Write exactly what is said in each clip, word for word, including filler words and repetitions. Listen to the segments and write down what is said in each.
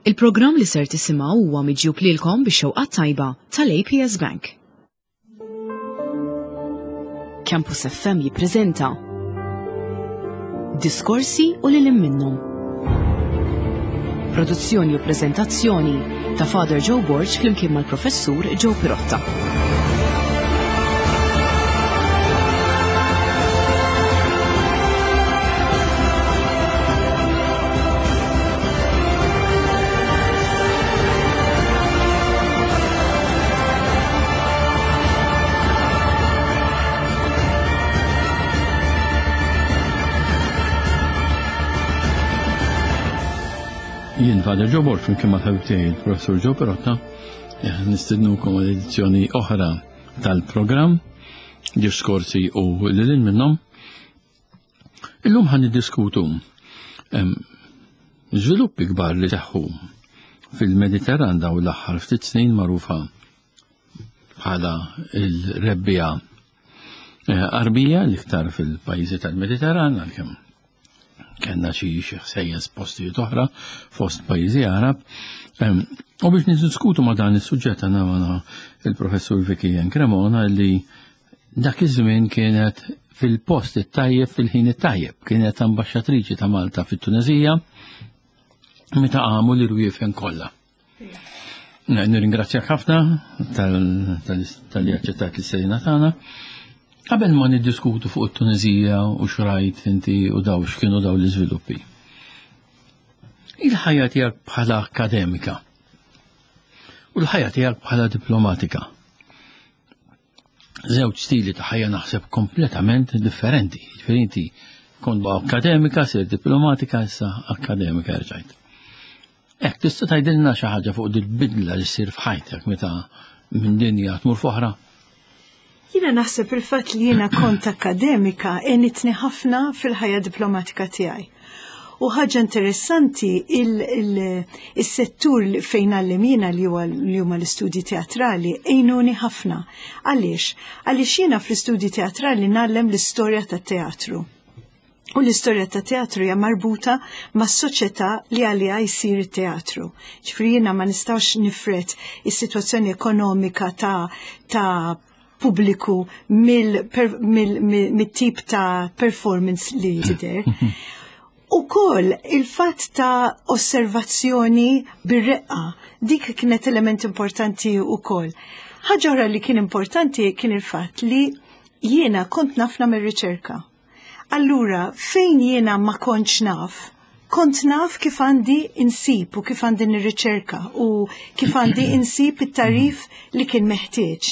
Il-programm li ser tisimgħu huwa miġjub lilkom bix-xewqa tajba tal-A P S Bank. Campus F M jippreżenta Diskorsi u lil minnhom. Produzzjoni u preżentazzjoni ta' Father Joe Borg flimkien mal-Professur Joe Pirotta. Jien Father Joe Borg flimkien ma' ħabib tiegħi il-Professur Joe Pirotta eh, nistednukom għal edizzjoni oħra tal-programm Diskorsi u lil minnhom. Illum ħan niddiskutu em, żviluppi kbar li seħħu fil-Mediterran daw l-aħħar ftit snin, magħrufa bħala il-Rebbiegħa eh, Għarbija, l-iktar fil-pajjiżi tal-Mediterran, għalkemm kellna xi xi ħsejjes postijiet oħra fost pajjiżi Għarab. Em, U biex niddiskutu ma' dan is-suġġett għandna magħna il-Professur Vicky Cremona, li dak iż-żmien kienet fil-post it-tajjeb fil-ħin it-tajjeb. Kienet ambaxxatriċi ta' Malta fit-Tunezija meta qamu l-irwiefen kollha. Nirringrazzjak ħafna talli aċċettat l-istedina tagħna. Qabel ma niddiskutu fuq it-Tunezija u xrajt inti u daw x'kienu daw l-iżviluppi. Il-ħajja tiegħek bħala akademika u l-ħajja tiegħek bħala diplomatika. Żewġ stili ta' ħajja naħseb kompletament differenti. Ġifieri inti kont akademika, sir diplomatika, issa akademika rġajt. Ek, tista' tgħidilna xi ħaġa fuq dil-bidla li ssir f'ħajtek meta minn dinja tmur f'oħra? Jiena naħseb il-fatt li jiena kont akademika għenitni ħafna fil-ħajja diplomatika tiegħi. U ħaġa interessanti, il-settur fejn ngħallem jiena, li huwa li huma l-istudji teatrali, għenuni ħafna. Għaliex? Għaliex jiena fl-istudji teatrali ngħallem l-istorja tat-teatru. U l-istorja ta' teatru hija marbuta mas soċjetà li għaliha jsir it-teatru. Ġifieri jiena ma nistax nifred is-sitwazzjoni ekonomika ta' ta' pubbliku mill-tip ta' performance li tidher. U koll il-fatt ta' osservazzjoni bir-reqqa, dik kienet element importanti u koll. Ħaġa oħra li kien importanti kien il-fatt li jiena kont naf nagħmel riċerka. Allura, fejn jiena ma kontx naf, kont naf kif għandi insib u kif għandi nirriċerka u kif għandi insib it-tagħrif li kien meħtieġ.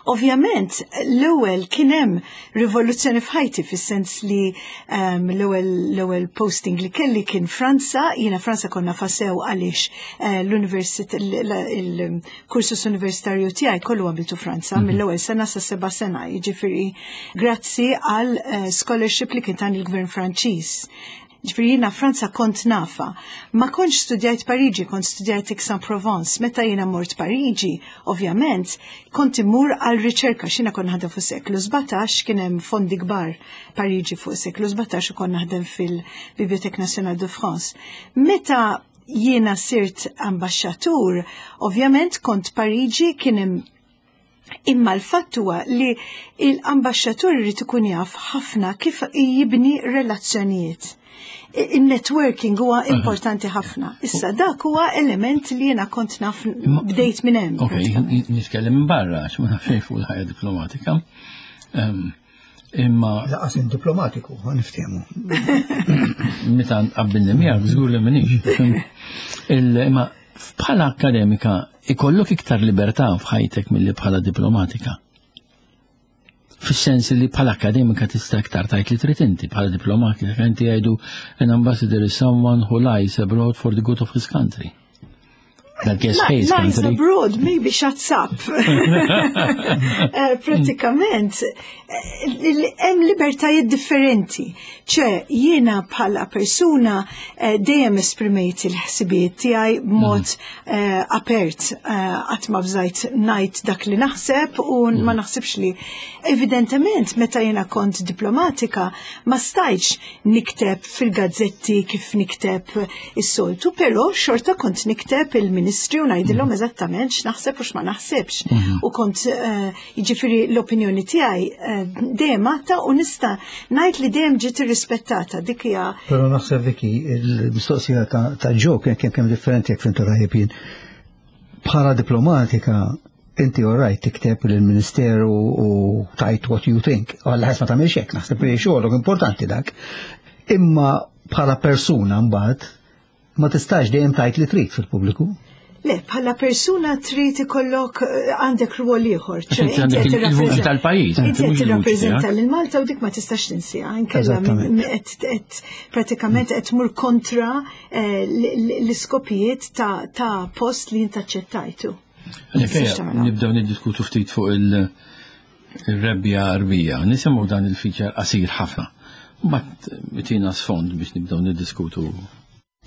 Ovvjament, l-ewwel kien hemm rivoluzzjoni f'ħajti, fis-sens li um, l-ewwel l-ewwel posting li kelli kien Franza. Jiena Franza konna fasew għaliex uh, l-università, il-kursus universitarju tiegħi kollu għamiltu Franza mm -hmm. mill-ewwel sena sa seba' sena, jiġifieri grazzi għal uh, scholarship li kien tan il-Gvern Franċiż. Ġifieri jiena Franza kont nafa. Ma kontx studjajt Pariġi, kont studjajt Aix-en-Provence. Meta jiena mort Pariġi, ovvjament, kont immur għal riċerka, x'jiena kont naħdem fuq seklu sbatax, kien hemm fondi kbar Pariġi fuq seklu sbatax u kont naħdem fil-Bibliothèque Nationale de France. Meta jiena sirt ambaxxatur, ovvjament kont Pariġi, kien hemm. Imma l-fatt huwa li l-ambaxxatur irid ikun jaf ħafna kif jibni relazzjonijiet. Il-networking huwa importanti ħafna. Issa dak huwa element li jiena kont naf, bdejt minn hemm. Ok, nitkellem minn barra, għax ma nafx fuq il-ħajja diplomatika. Imma. Lanqas diplomatiku, ħa niftehmu. Meta qabbilni miegħek żgur li m'iniex. Imma bħala akademika ikollok iktar libertà f'ħajtek milli bħala diplomatika. Fis-sens li bħala akademika tista' iktar tgħid li trid inti, bħala diplomatika inti jgħidu an ambassador is someone who lies abroad for the good of his country. That gets hates Lies country. abroad maybe shuts up. Eh, Pratikament, eh, hemm libertajiet differenti. ċe, jiena bħala persuna eh, dejjem esprimejt il-ħsibijiet tiegħi b'mod eh, apert, eh, qatt ma bżajt ngħid dak li naħseb u ma naħsibx li evidentement meta jiena kont diplomatika ma stajtx nikteb fil-gazzetti kif nikteb is-soltu, però xorta kont nikteb il-ministri u ngħidilhom eżattament x'naħseb u x'ma naħsibx. U kont eh, jiġifieri l-opinjoni tiegħi eh, dejjem għadha u nista' ngħid li dejjem ġiet irrispettata dik hija. Però naħseb, Vicky, il-mistoqsija ta' ta' Joe kien kien kemm differenti jekk fhimtu tajjeb jien. Bħala diplomatika, inti all right tikteb lill-Ministeru u tgħid what you think. Għalla ħes ma tagħmilx hekk, naħseb li xogħolok importanti dak. Imma bħala persuna mbagħad ma tistax dejjem tgħid li trid fil-pubbliku. Le, bħala persuna trid ikollok eh, għandek rwol ieħor. Għax inti għandek il- il-vuċi tal-pajjiż, Inti inti qed mhux il-vuċi tirrappreżenta tiegħek. lil Malta u dik ma tistax tinsieha. Inkella Eżattament. min- qed qed pratikament qed tmur kontra eh, l- l- l-iskopijiet ta' ta' post li inti aċċettajtu. Għalhekk Tistax ejja, tagħmilha. nibdew niddiskutu ftit fuq il- il-rebbiegħa Għarbija. Nisimgħu dan il-feature qasir ħafna. Mbagħad tina sfond biex nibdew niddiskutu.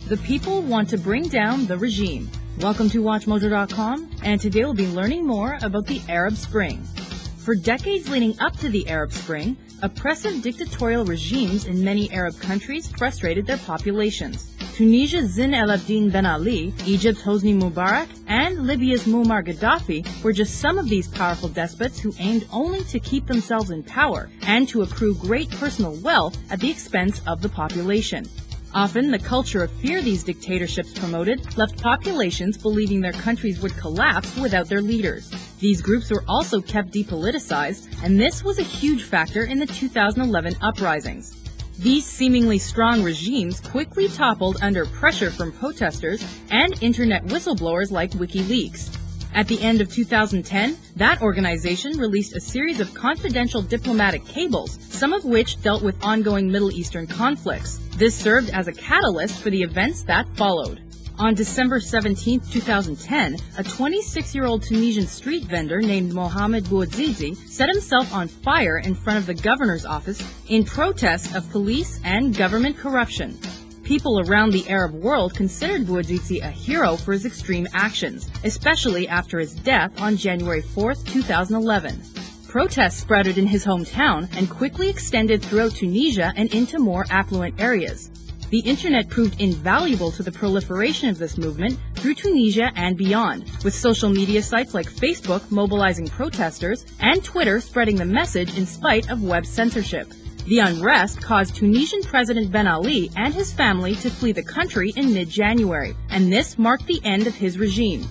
The people want to bring down the regime. Welcome to Watch Mojo dot com, and today we'll be learning more about the Arab Spring. For decades leading up to the Arab Spring, oppressive dictatorial regimes in many Arab countries frustrated their populations. Tunisia's Zine El Abidine Ben Ali, Egypt's Hosni Mubarak, and Libya's Muammar Gaddafi were just some of these powerful despots who aimed only to keep themselves in power and to accrue great personal wealth at the expense of the population. Often, the culture of fear these dictatorships promoted left populations believing their countries would collapse without their leaders. These groups were also kept depoliticized, and this was a huge factor in the two thousand eleven uprisings. These seemingly strong regimes quickly toppled under pressure from protesters and internet whistleblowers like WikiLeaks. At the end of two thousand ten, that organization released a series of confidential diplomatic cables, some of which dealt with ongoing Middle Eastern conflicts. This served as a catalyst for the events that followed. On December seventeenth, twenty ten, a twenty-six-year-old Tunisian street vendor named Mohamed Bouazizi set himself on fire in front of the governor's office in protest of police and government corruption. People around the Arab world considered Bouazizi a hero for his extreme actions, especially after his death on January fourth, twenty eleven. Protests sprouted in his hometown and quickly extended throughout Tunisia and into more affluent areas. The internet proved invaluable to the proliferation of this movement through Tunisia and beyond, with social media sites like Facebook mobilizing protesters and Twitter spreading the message in spite of web censorship. The unrest caused Tunisian President Ben Ali and his family to flee the country in mid-January, and this marked the end of his regime.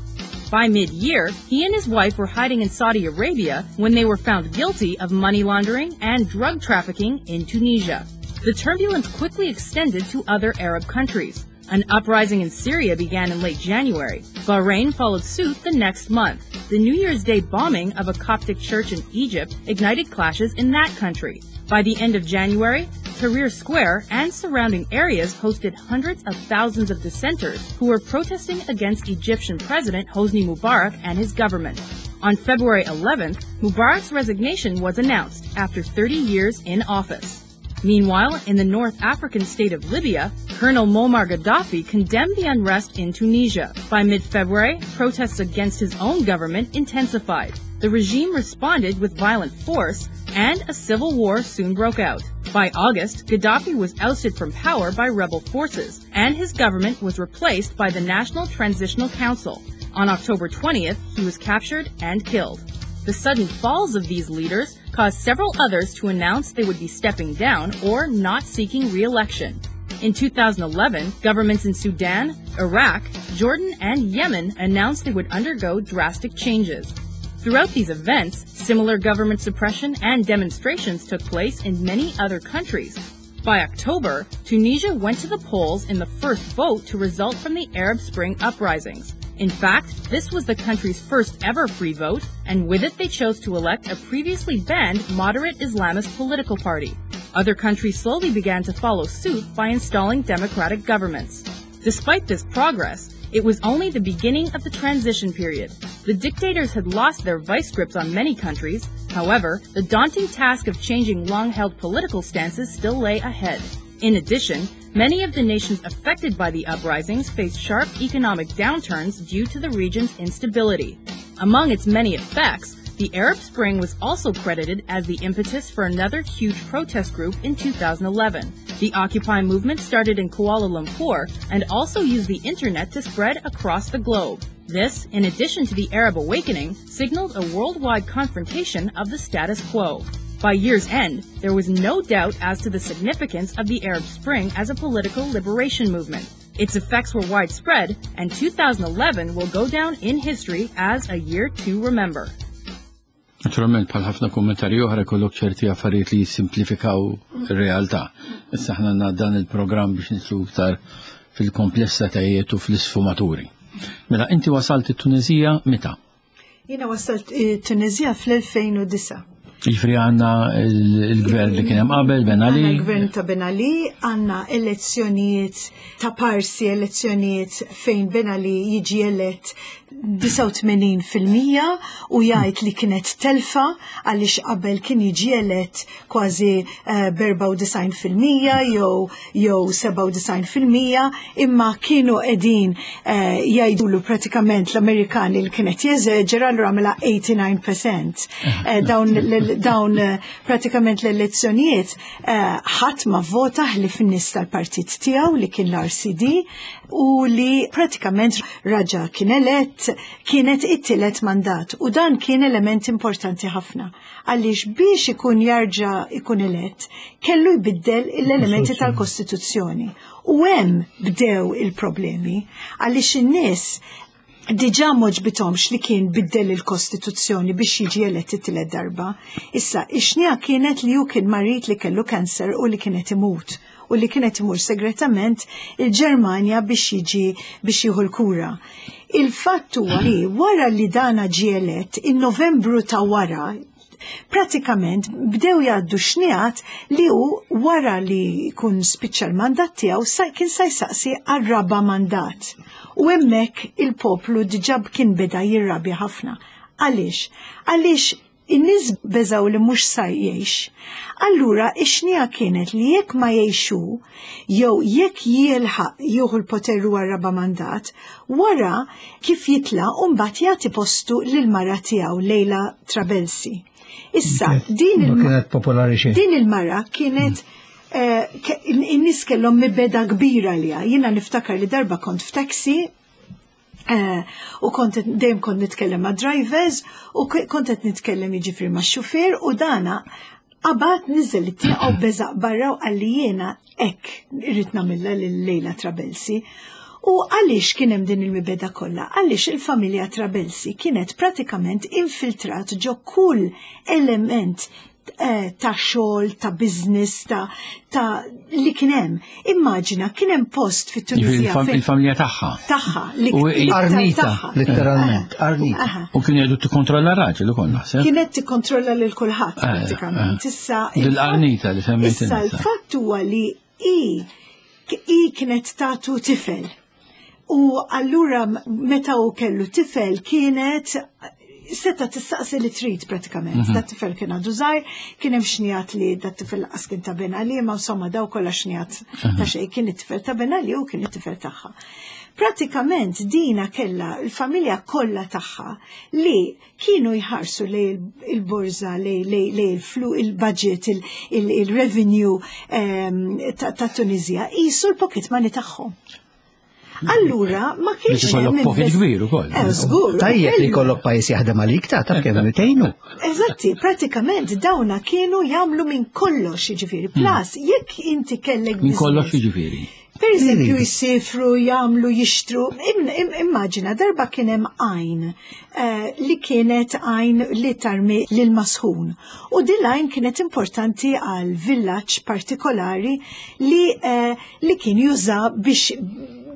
By mid-year, he and his wife were hiding in Saudi Arabia when they were found guilty of money laundering and drug trafficking in Tunisia. The turbulence quickly extended to other Arab countries. An uprising in Syria began in late January. Bahrain followed suit the next month. The New Year's Day bombing of a Coptic church in Egypt ignited clashes in that country. By the end of January, Tahrir Square and surrounding areas hosted hundreds of thousands of dissenters who were protesting against Egyptian President Hosni Mubarak and his government. On February eleventh, Mubarak's resignation was announced after thirty years in office. Meanwhile, in the North African state of Libya, Colonel Muammar Gaddafi condemned the unrest in Tunisia. By mid-February, protests against his own government intensified. The regime responded with violent force, and a civil war soon broke out. By August, Gaddafi was ousted from power by rebel forces, and his government was replaced by the National Transitional Council. On October twentieth, he was captured and killed. The sudden falls of these leaders caused several others to announce they would be stepping down or not seeking re-election. In two thousand eleven, governments in Sudan, Iraq, Jordan, and Yemen announced they would undergo drastic changes. Throughout these events, similar government suppression and demonstrations took place in many other countries. By October, Tunisia went to the polls in the first vote to result from the Arab Spring uprisings. In fact, this was the country's first ever free vote, and with it they chose to elect a previously banned moderate Islamist political party. Other countries slowly began to follow suit by installing democratic governments. Despite this progress, it was only the beginning of the transition period. The dictators had lost their vice grips on many countries. However, the daunting task of changing long-held political stances still lay ahead. In addition, many of the nations affected by the uprisings faced sharp economic downturns due to the region's instability. Among its many effects, the Arab Spring was also credited as the impetus for another huge protest group in two thousand eleven. The Occupy movement started in Kuala Lumpur and also used the internet to spread across the globe. This, in addition to the Arab awakening, signaled a worldwide confrontation of the status quo. By year's end, there was no doubt as to the significance of the Arab Spring as a political liberation movement. Its effects were widespread, and twenty eleven will go down in history as a year to remember. Naturalment, bħal ħafna kummentarji oħra, kollok ċerti affarijiet li jissimplifikaw ir-realtà. Issa aħna għandna dan il-programm biex nidħlu iktar fil-komplessitajiet u fl-isfumaturi. Mela, inti wasalt it-Tunezija meta? Jiena wasalt eh, Tunezija fl-elfejn u disgħa. Jiġifieri għandna il-gvern li kien hemm qabel, Ben Ali. Għandna l-gvern ta' Ben Ali, għandna elezzjonijiet ta' parsi, elezzjonijiet fejn Ben Ali jiġi elett disgħa u tmenin fil-mija u jgħid li kienet telfa għaliex qabel kien jiġi elett kważi eh, erbgħa u disgħin fil-mija jew jew sebgħa u disgħin fil-mija, imma kienu qegħdin eh, jgħidulu pratikament l-Amerikani li kienet jeżaġera, allura għamela tmienja u disgħin fil-mija. Eh, dawn l- dawn eh, pratikament l-elezzjonijiet eh, ħadd ma vota ħlief in-nies tal-partit tiegħu li kien l-R C D u li pratikament raġa kien elett, kienet it-tielet mandat, u dan kien element importanti ħafna għaliex biex ikun jarġa ikun elett kellu jbiddel l-elementi tal-Kostituzzjoni. U hemm bdew il-problemi għaliex in-nies diġà m'għoġbithomx li kien biddel il-Kostituzzjoni biex jiġi elett it-tielet darba. Issa, ix-xnija kienet li hu kien marid, li kellu kanser u li kienet imut u li kienet imur segretament il-Ġermanja biex jiġi biex jieħu l-kura. Il-fatt huwa li wara li dana ġie elett, in Novembru ta' wara, pratikament bdew jgħaddu xnijat li hu wara li jkun spiċċa l-mandat tiegħu sa kien sa jsaqsi għar-raba mandat. U hemmhekk il-poplu diġà kien beda jirrabja ħafna. Għaliex? Għaliex in-nies beżaw li mhux sa jgħix. Allura ix-xnija kienet li jekk ma jgħixu, jew jekk jilħaq jieħu l-poter għar-raba mandat, wara kif jitla' u mbagħad jagħti postu lil mara tiegħu, Lejla Trabelsi. Issa, din Ma il kienet popolari xejn. Din il-mara kienet eh, ke- in-nies kellhom mibegħda kbira liha. Jiena niftakar li darba kont f'taxi eh, u kont dejjem kont nitkellem ma' drivers u k- kont qed nitkellem, jiġifieri, ma' xufier, u dana qabad niżel it-tieqa u beżaq barra u qalli, "Jiena hekk irrid nagħmilha lil Lejla Trabelsi." U għaliex kien hemm din il-mibegħda kollha? Għaliex il-familja Trabelsi kienet pratikament infiltrat ġo kull element eh, ta' xogħol, ta' business, ta', ta' li kien hemm. Immaġina, kien hemm post fit-Tunisija Jiġifieri fejn il-familja tagħha. Tagħha li U l-iktar Arnita, tagħha. letteralment, Arnita. Aha. U kienu jgħidu tikkontrolla raġel ukoll, naħseb. Kienet tikkontrolla lil kulħadd Eh, pratikament. eh. Issa Dil-Arnita li semmejt Issa inti. l-fatt huwa li i i kienet tatu tifel. U allura meta u kellu tifel kienet seta tistaqsi li trid pratikament. Mhm. Dat tifel kien għadu żgħir, kien hemm xnijat li dat tifel lanqas kien ta' Ben Ali, ma insomma daw kollha xnijat ta' xejn, kien it-tifel ta' Ben Ali u kien it-tifel tagħha. Pratikament dina kella il-familja kollha tagħha li kienu jħarsu lej il-borza, lej lej lej il-flu, il-budget, il-revenue ehm, ta' ta' Tunizija, jisu l-pocket money tagħhom. Allura, ma kienx Biex ikollok hemm pocket invest- kbir ukoll. Eh, żgur. Tajjeb li kellu- jkollok pajjiż jaħdem għalik, ta' taf kemm tgħinu. Eżatti, pratikament dawna kienu jagħmlu minn kollox, jiġifieri. Plus, jekk inti kellek Minn kollox, business- jiġifieri? Per eżempju, jisifru, jagħmlu, jixtru. Im, im, immaġina, darba kien hemm għajn eh, li kienet għajn li tarmi lil masħun. U din l-għajn kienet importanti għal villaġġ partikolari li, eh, li kien juża biex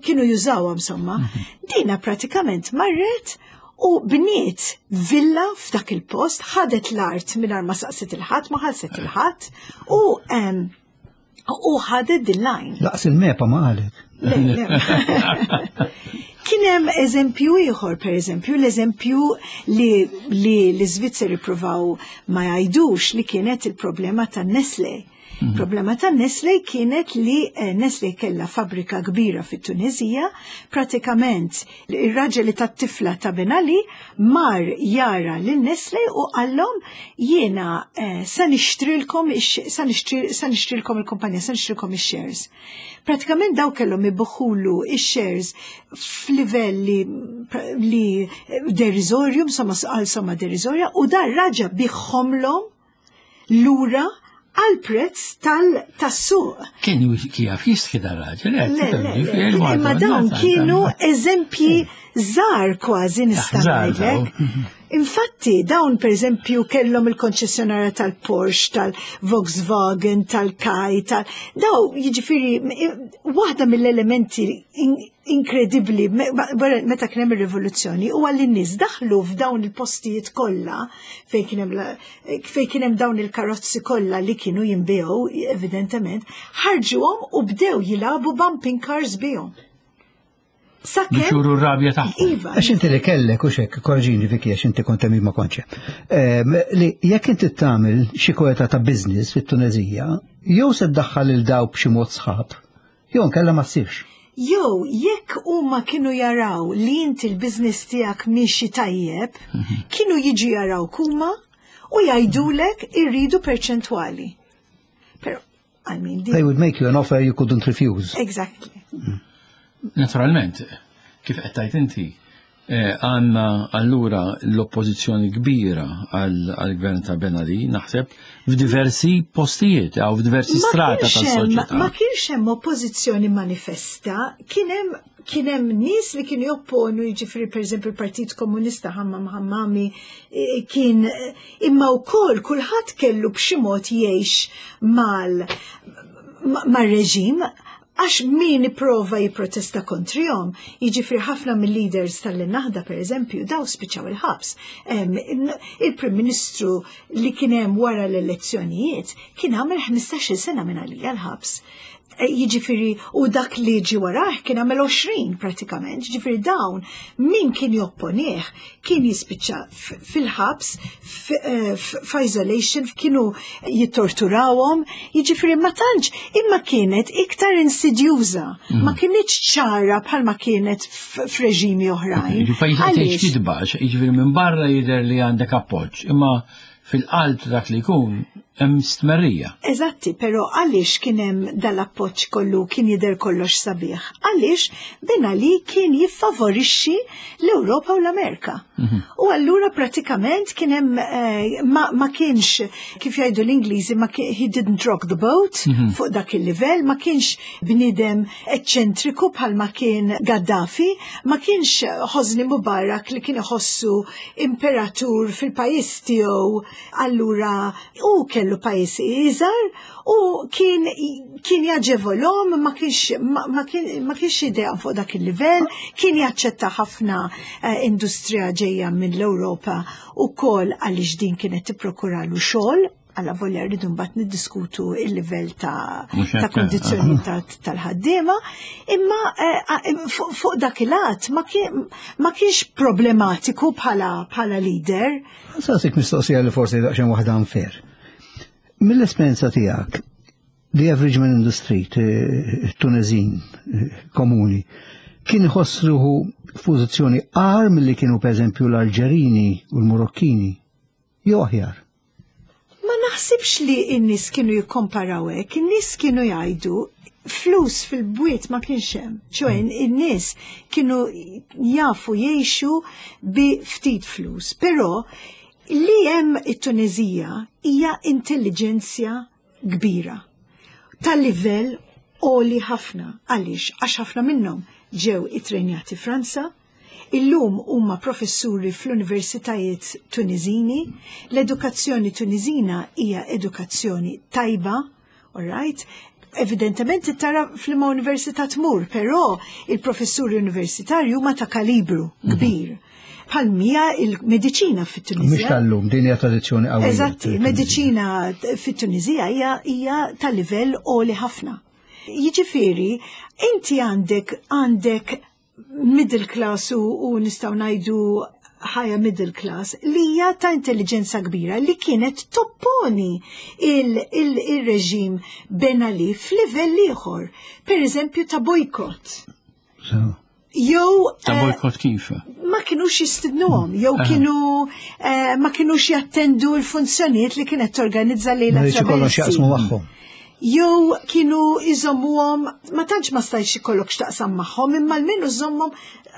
kienu jużawha insomma. Dina pratikament marret u bniet villa f'dak il-post, ħadet l-art mingħajr ma saqsit il-ħadd, ma ħalset il-ħadd u em, u ħadet din l-għajn. Lanqas il-MEPA ma qalet. Le, le. Kien hemm eżempju ieħor, per eżempju, l-eżempju li, li l-Iżvizzeri provaw ma jgħidux li kienet il-problema ta' Nestle. Mhm. Problema ta' Nestle kienet li eh, Nestle kella fabbrika kbira fit-Tunezija, pratikament ir-raġel li tat-tifla ta' Ben Ali mar jara lil Nestle u qallhom jiena eh, sa nixtrilkom sa nixtrilkom il-kumpanija, sa nixtrilkom ix-shares. Pratikament daw kellhom ibiħulu ix-shares f'livell li, li deriżorju, insomma għal somma deriżorja, u dar raġa biegħhomlhom lura għal prezz tal-suq. Kien kif jistħi dar-raġel, Le, le, le, imma dawn kienu eżempji żgħar kważi nista' ngħidlek. Infatti, dawn per eżempju kellhom il-konċessjonarja tal-Porsche, tal-Volkswagen, tal-Kai, tal daw jiġifieri waħda mill-elementi inkredibbli meta kien hemm ir-rivoluzzjoni huwa li n-nies daħlu f'dawn il-postijiet kollha fejn kien hemm fejn kien hemm dawn il-karozzi kollha li kienu jinbiegħu evidentement, ħarġuhom u bdew jilagħbu bumping cars bihom. Biex juru r-rabja tagħhom. Iva. Għax inti li kellek u xek, korreġini Viki, għax inti kont hemm ma kontx. Li jekk inti tagħmel xi kweta ta' business fit-Tunezija, jew se ddaħħal il daw b'xi mod sħab, jew nkella ma ssirx. Jew jekk huma kienu jaraw li inti l-business tiegħek miexi tajjeb, kienu jiġu jaraw huma u jgħidulek irridu perċentwali. Però, I mean, They would make you an offer you couldn't refuse. Exactly. Naturalment, kif qed tgħid inti, eh, għandna allura l-oppożizzjoni kbira għall-gvern ta' Ben Ali, naħseb, f'diversi postijiet, jew f'diversi Ma strata kienx hemm- tas-soċjetà. Ma kienx hemm oppożizzjoni manifesta, kien hemm kien hemm nies li kienu jopponu, jiġifieri pereżempju il-Partit Komunista Hammam Hammami eh, kien eh, imma wkoll kulħadd kellu b'xi mod jgħix mal ma- mar-reġim għax min iprova jipprotesta kontrihom, jiġifieri ħafna mill-leaders tal-Naħda per eżempju, daw spiċċaw il-ħabs. Em, Il-Prim Ministru li kien hemm wara l-elezzjonijiet kien għamel ħmistax-il sena minn għalija l-ħabs. E, Jiġifieri, u dak li ġi warah kien għamel għoxrin pratikament, jiġifieri dawn min kien jopponih kien jispiċċa f- fil-ħabs, f- eh, f- f'isolation, kienu jittorturawhom, jiġifieri ma tantx imma kienet iktar insidjuża, ma kienitx ċara bħalma kienet f- f'reġimi oħrajn. Pajjiż qed Għaliex? tgħix kitba, jiġifieri minn barra jidher li għandek appoġġ, imma fil-qalb ta' dak li jkun hemm stmerrija. Eżatti, pero għaliex kien hemm dal-appoġġ kollu kien jidher kollox sabiħ? Għaliex Ben Ali kien jiffavorixxi l-Ewropa u l-Amerika. U allura pratikament kien hemm eh, ma, ma kienx kif jgħidu l-Ingliżi ma kien, he didn't rock the boat fuq dak il-livell, ma kienx bniedem eċċentriku bħalma kien Gaddafi, ma kienx Hosni Mubarak li kien iħossu imperatur fil-pajjiż tiegħu, allura u kellu pajjiż iżgħar u kien kien jaġevolhom, ma kienx ma, ma kien ma kienx idea fuq dak il-livell, kien jaċċetta ħafna eh, industrija ġejja mill-Ewropa ukoll għaliex din kienet tipprokuralu xogħol, għalla volja rridu mbagħad niddiskutu il-livell ta' Mhux ta' hekk, kondizzjoni ta' tal-ħaddiema, imma eh, eh, fuq fuq dak il-att ma kien- ma kienx problematiku bħala bħala leader. Saqsik mistoqsija li forsi daqsxejn waħda unfair. Mill-esperjenza tiegħek, the average man in the street, eh, Tunezin, eh, komuni, kien iħoss ruħu f'pożizzjoni agħar milli kienu pereżempju l-Alġerini u l-Marokkini, jew aħjar. Ma naħsibx li n-nies kienu jikkomparaw hekk, in-nies kienu jgħidu flus fil-bwiet ma kienx hemm. ċoè in-nies kienu jafu jgħixu bi ftit flus, però li hemm it-Tunezija hija intelliġenzja kbira tal-livell għoli ħafna. Għaliex? Għax ħafna minnhom ġew itrenjati Franza, illum huma professuri fl-universitajiet Tunizini, l-edukazzjoni Tunizina hija edukazzjoni tajba, all right? Evidentement tara fl-ma università tmur, però il-professuri universitarji huma ta' kalibru kbir. Bħalma il-mediċina Mhix fit-Tunizija. tal-lum, din hija tradizzjoni qawwija. Eżatti, mediċina fit-Tunizija hija hija ta' livell għoli ħafna. Jiġifieri, inti għandek għandek middle class u, u nistgħu ngħidu higher middle class li hija ta' intelligenza kbira li kienet topponi il-reġim Ben Ali f'livell ieħor, per eżempju ta' bojkott. Jew Ta' eh, bojkott kif? ma kienux jistidnuhom, jew kienu eh, ma kienux jattendu l-funzjonijiet li kienet torganizza Lejla Ma rridx ikollhom x'jaqsmu magħhom. Jew kienu iżommuhom, ma tantx ma stajx ikollok x'taqsam magħhom, imma almenu żommhom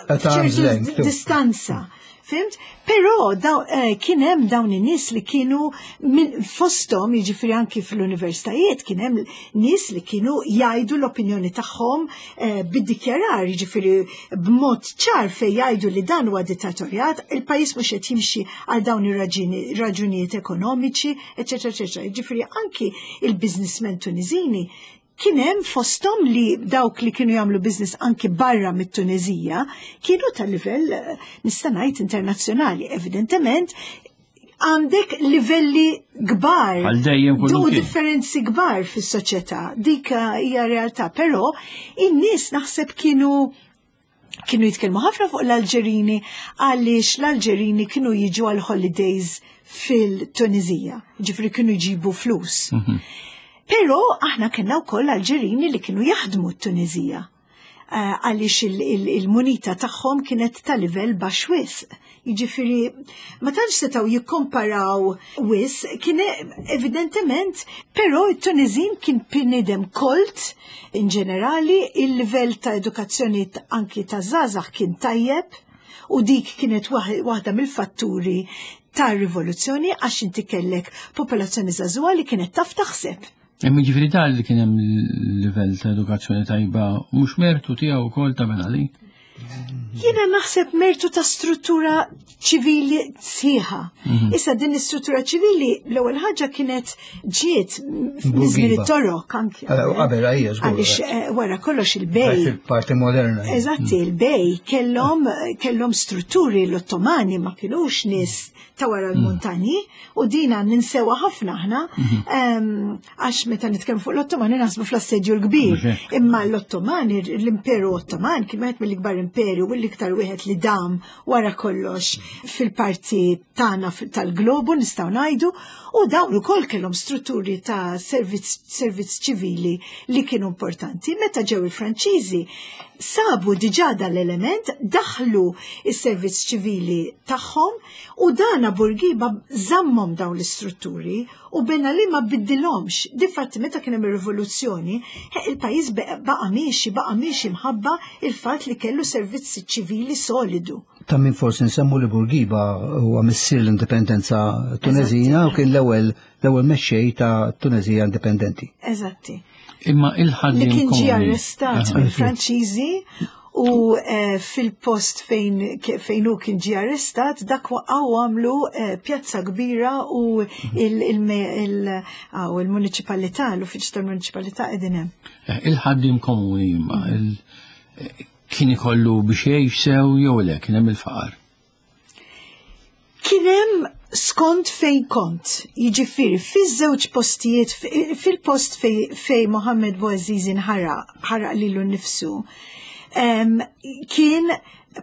At arm's ċertu length, distanza. Fhimt? Però daw, eh, kien hemm dawn in-nies li kienu min fosthom, jiġifieri anki fl-universitajiet, kien hemm nies li kienu jgħidu l-opinjoni tagħhom eh, bid-dikjarar, jiġifieri b'mod ċar fejn jgħidu li dan huwa dittatorjat, il-pajjiż mhux qed jimxi għal dawn ir-raġunijiet ekonomiċi, eċetera, eċetera. Jiġifieri anki il-businessmen Tunizini kien hemm fosthom li dawk li kienu jagħmlu business anki barra mit-Tunezija kienu ta' livell eh, nista' ngħid internazzjonali. Evidentement għandek livelli kbar Għal dejjem u kullimkien. differenzi kbar fis-soċjetà. Dik hija realtà, però in-nies naħseb kienu kienu jitkellmu ħafna fuq l-Alġerini għaliex l-Alġerini kienu jiġu għal holidays fil-Tunizija, ġifri kienu jġibu flus. Però aħna kellna wkoll Alġerini li kienu jaħdmu t-Tunizija. Eh, Għaliex il- il- il-munita tagħhom kienet ta' livell baxx wisq. Jiġifieri ma tantx setgħu jikkomparaw wisq, kien evidentement, però it-Tunizin kien bniedem kolt in ġenerali, il-livell ta' edukazzjoni t- anki ta' żgħażagħ kien tajjeb u dik kienet waħ- waħda mill-fatturi ta' rivoluzzjoni għax inti kellek popolazzjoni żagħżugħa li kienet taf taħseb. Imma ġifieri dan li kien hemm livell ta' edukazzjoni tajba mhux mertu tiegħu wkoll ta' Ben Ali. Jiena naħseb mertu ta' struttura ċivili sħiħa. Issa din l-istruttura ċivili l-ewwel ħaġa kienet ġiet żmien it-Torok anki. Eh, qabel, ejja, żgur. Għaliex eh, wara kollox il-bej. Fil-parti moderna. Eżatti, il-bej kellhom kellhom strutturi l-Ottomani ma kienux nies ta' wara l-muntanji u dina ninsewa ħafna aħna em, għax meta nitkellmu fuq l-Ottomani naħsbu fl-assedju l-kbir. Mhux hekk. Imma l-Ottomani, l-Imperu Ottoman kien wieħed mill-ikbar imperju u l-iktar wieħed li dam wara kollox fil-parti tagħna fil- tal-globu nistgħu ngħidu u dawn ukoll kellhom strutturi ta' servizz servizz ċivili li kienu importanti. Meta ġew il-Franċiżi sabu diġà dal-element, daħlu is-servizz ċivili tagħhom u dana Burgiba żammhom dawn l-istrutturi u Ben Ali ma biddilhomx. Difatti meta kien hemm ir-rivoluzzjoni, he, il-pajjiż baqa' miexi, baqa' miexi mħabba il-fatt li kellu servizz ċivili solidu. Ta' min forsi nsemmu li Burgiba huwa missier l-indipendenza Tunezina u kien l-ewwel l-ewwel mexxej ta' Tunezija indipendenti. Eżatti. Imma il-ħaddiem Li kien ġie komuni. arrestat Aha. mill-Franċiżi u eh, fil-post fejn fejn hu kien ġie arrestat dak waqgħu għamlu eh, pjazza kbira u il-municipalità, l-uffiċċju tal-municipalità qegħdin hemm. Eh, Il-ħaddiem komuni imma il- eh, kien ikollu biex jgħix sew jew le kien hemm il-faqar. Kien hemm skont fejn kont, jiġifieri fiż-żewġ postijiet, fil-post fej, fej Mohammed Bouazizi nħaraq, ħaraq lilu nnifsu, em, kien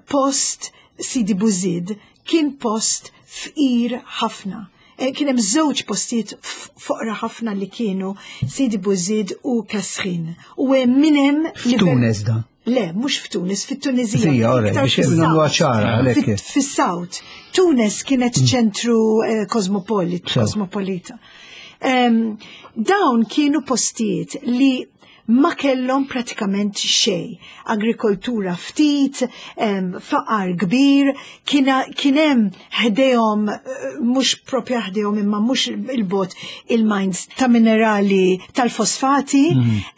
post Sidi Buzid, kien post fqir ħafna. Eh, Kien hemm żewġ postijiet f- foqra ħafna li kienu Sidi Buzid u Kasrin. U hemm min hemm F'Tunes da. Le, mhux f'Tunis, fit-Tunizija. Fija, alright, iktar biex fis-South. nagħmluha ċara, għalhekk. Fit- Fis-South. Tunis kienet ċentru eh, kosmopolit, Sew. kosmopolita. Em, dawn kienu postijiet li ma kellhom pratikament xejn. Agrikoltura ftit, em, faqar kbir, kien hemm ħdejhom eh, mhux propja ħdejhom imma mhux il-bot il-mines ta' minerali tal-fosfati,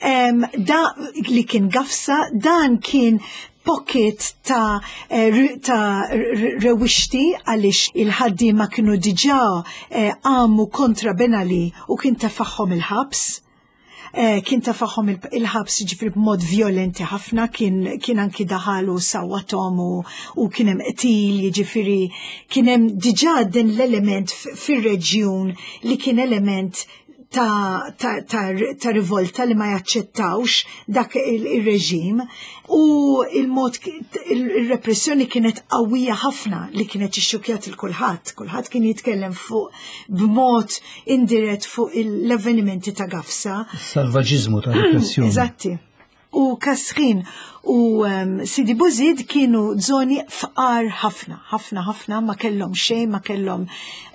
em, da li kien Gafsa, dan kien pocket ta' eh, ri- ta' r- rewixti għaliex il-ħaddiema kienu diġà eh, għamu kontra Ben Ali u kien tefagħhom il-ħabs. Eh, kien tefagħhom il- il-ħabs ġifri b'mod violenti ħafna, kien, kien anki daħal u sawwathom u, u kien hemm qtil, jiġifieri kien hemm diġà din l-element f- fir-reġjun li kien element ta', ta, ta, ta rivolta li ma jaċċettawx dak il-reġim u il-mod il-repressjoni kienet qawwija ħafna li kienet ixxukjat il kulħadd. Kulħadd kien jitkellem fuq b'mod indirett fuq l-avvenimenti ta' Gafsa. Salvaġiżmu ta' repressjoni. Eżatti. U Kasrin u um, Sidi Buzid kienu zoni fqar ħafna, ħafna ħafna, ma kellhom xejn, ma kellhom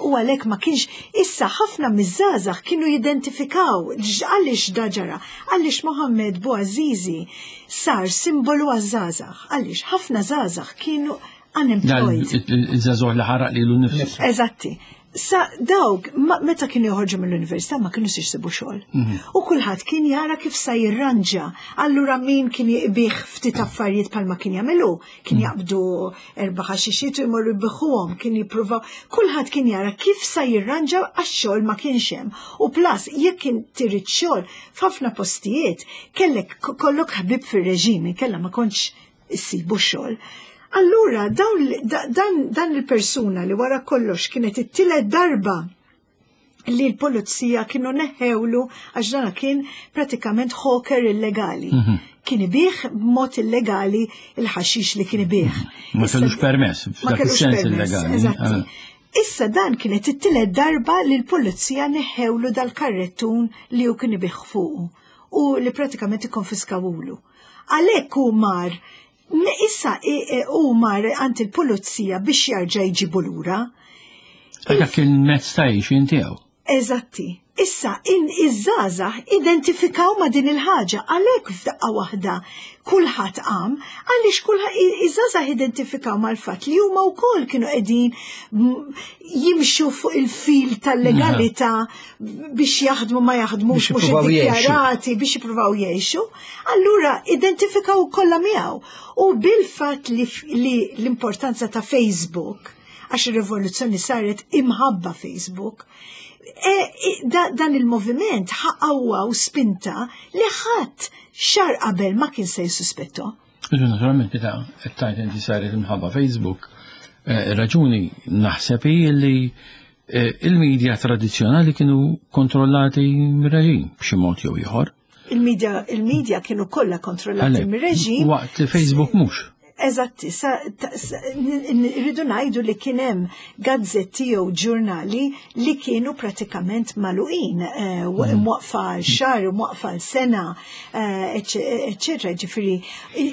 u għalhekk ma kienx issa ħafna miż-żgħażagħ kienu jidentifikaw għaliex da ġara, għaliex Mohammed Bouazizi sar simbolu għaż-żgħażagħ, għaliex ħafna żgħażagħ kienu unemployed. Il-żagħżugħ li ħaraq lilu nnifsu. Eżatti. Sa dawk, meta kienu joħorġu mill-università ma kienu jsibu xogħol. Mhm. U kulħadd kien jara kif sa jirranġa. Allura min kien jbigħ ftit affarijiet bħalma kien jagħmelu, kien mhm. jaqbdu erba' ħaxixiet u jmorru jbigħuhom, kien jippruvaw. Kulħadd kien jara kif sa jirranġa għax-xogħol ma kienx hemm. U plus jekk kien trid xogħol f'ħafna postijiet kellek kollok ħbib fir-reġimi, kellha ma kontx issibu xogħol. Allura, dan, dan il-persuna li wara kollox kienet it-tielet darba li l-polizija kienu neħewlu għax dana kien pratikament hawker illegali. Mm -hmm. Kien ibigħ b'mod illegali il-ħaxix li kien ibigħ. Ma kellux permess, ma kellux permess. Eżatti. Ah. Issa dan kienet it-tielet darba li l-pulizija neħewlu dal-karrettun li hu kien ibigħ fuqu u li pratikament ikkonfiskawulu. Għalhekk hu mar Issa u mar għand il-pulizija biex jarġa' jġibu lura. Dak kien mezz ta' għixien tiegħu. Eżatti. Issa, in iż-żgħażagħ identifikaw ma' din il-ħaġa, għalhekk f'daqqa waħda kulħadd qam, għaliex kulħadd iż-żgħażagħ identifikaw mal-fatt li huma wkoll kienu qegħdin jimxu fuq il-fil tal-legalità biex jaħdmu ma jaħdmux mhux iddikjarati biex jippruvaw jgħixu. Allura identifikaw kollha miegħu. U bil-fatt li, li l-importanza ta' Facebook, għax ir-rivoluzzjoni saret imħabba Facebook, E, e, da, dan il-moviment ħaqawwa u spinta li ħadd xahar qabel ma kien se jissuspetto. Naturalment, meta qed tgħid inti saret imħabba Facebook, eh, raġuni naħseb hi li eh, il-medja tradizzjonali kienu kontrollati mir-reġim b'xi mod jew ieħor. Il-medja il-medja kienu kollha kontrollati mir-reġim. Waqt li Facebook mhux. Eżatti, rridu ngħidu li kien hemm gazzetti jew ġurnali li kienu pratikament magħluqin, eh, mm. mwaqfa għal xahar, mwaqfa għal sena, eh, eċċetera. Ġifieri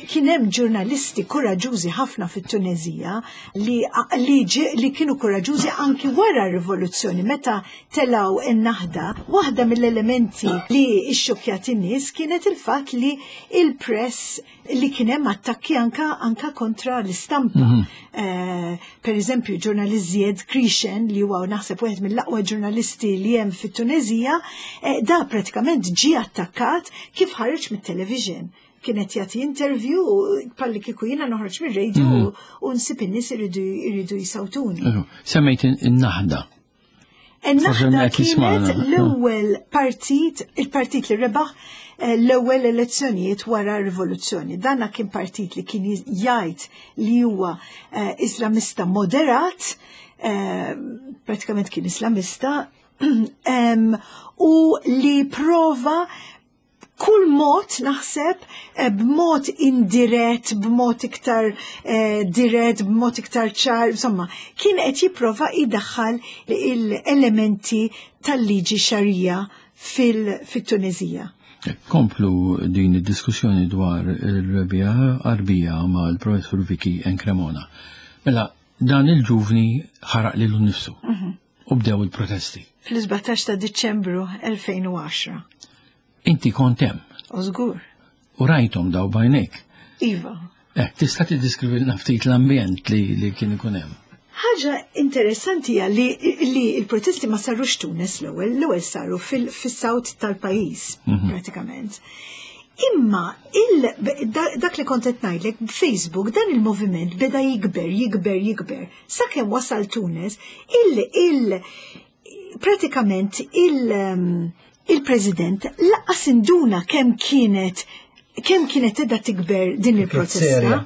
kien hemm ġurnalisti kuraġużi ħafna fit-Tunezija li, li, li kienu kuraġużi anki wara r-rivoluzzjoni meta telaw in-naħda. Waħda mill-elementi li xxukjat in-nies kienet il-fatt li il-press li kien hemm attakki anka anka kontra l-istampa. Mm -hmm. uh, per eżempju, ġurnalist Zied Krishen li huwa naħseb wieħed mill-aqwa ġurnalisti li hemm fit-Tunezija, eh, da pratikament ġie attakkat kif ħareġ mit-television kienet jagħti interview palli kieku jiena noħroġ mir-radio mm -hmm. u nsib in-nies iridu iridu jisawtuni. Semmejt in-naħda. In-naħda kienet l-ewwel partit, il-partit li rebaħ eh, l-ewwel elezzjonijiet wara r-rivoluzzjoni. Danna kien partit li kien jgħid li huwa eh, Islamista moderat, eh, pratikament kien Islamista, u li prova kull mod naħseb b'mod indirett, b'mod iktar eh, dirett, b'mod iktar ċar, insomma, kien qed jipprova jdaħħal l-elementi tal-liġi xarija fil-Tunezija. Komplu din id-diskussjoni dwar il-rebija Arbija mal-professur Vicky Encremona. Mela, dan il-ġuvni ħaraq lilu nnifsu mhm. u bdew il-protesti. Fl-sbatax ta' Diċembru elfejn u għaxra. Inti kont hemm. U żgur. U rajthom daw bajnejk. Iva. Eh, tista' tiddeskrivilna ftit l-ambjent li, li kien ikun hemm? Ħaġa interessanti hija li, li l-protesti ma sarux Tunis l-ewwel, l-ewwel saru fis-south tal-pajjiż mhm. pratikament. Imma il, dak li kont qed ngħidlek b'Facebook dan il-moviment beda jikber, jikber, jikber. Sakemm wasal Tunis, il, il pratikament il, um, il-President laqas induna kemm kienet kemm kienet edha tikber din il-protesta.